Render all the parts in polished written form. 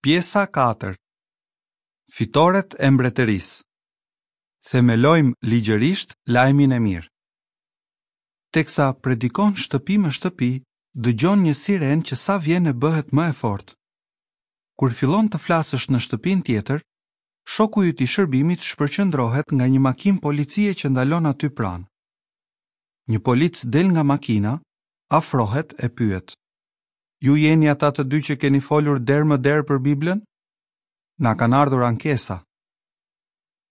Pjesa 4 Fitoret e Mbretërisë Themelojmë ligjërisht lajmin e mirë. Teksa predikon shtëpi më shtëpi, dëgjon një sirenë që sa vjen e bëhet më e fortë. Kur fillon të flasësh në shtëpinë tjetër, shoku yt i shërbimit shpërqendrohet nga një makinë policie që ndalon aty pranë. Një polic del nga makina, afrohet e pyet. Ju jeni ata të dy që keni folur derë më derë për Biblën? Na kanë ardhur ankesa.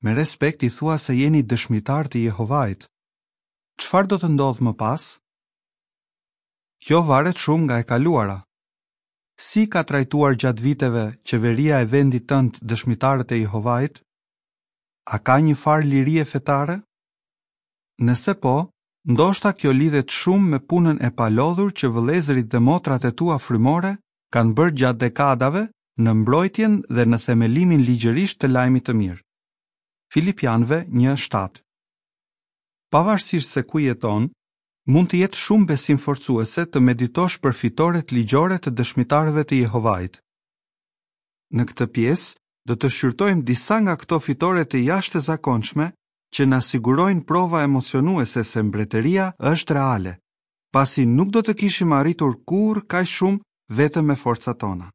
Me respekt i thua se jeni dëshmitarë të Jehovait. Çfarë do të ndodhë më pas? Kjo varet shumë nga e kaluara. Si ka trajtuar gjatë viteve qeveria e vendit tënd dëshmitarët e Jehovait? A ka një farë lirie fetare? Nëse po, ndoshta kjo lidhet shumë me punën e palodhur që vëllezërit dhe motrat e tua frymore kanë bërë gjatë dekadave në mbrojtjen dhe në themelimin ligjërisht të lajmit të mirë. Filipianëve 1:7. Pavarësisht se ku jeton, mund të jetë shumë besimforcuese të meditosh për fitoret ligjore të Dëshmitarëve të Jehovait. Në këtë pjesë, do të shqyrtojmë disa nga këto fitore të jashtëzakonshme që na sigurojnë prova emocionuese se mbretëria është reale, pasi nuk do të kishim arritur kurrë kaq shumë vetëm me forcat tona.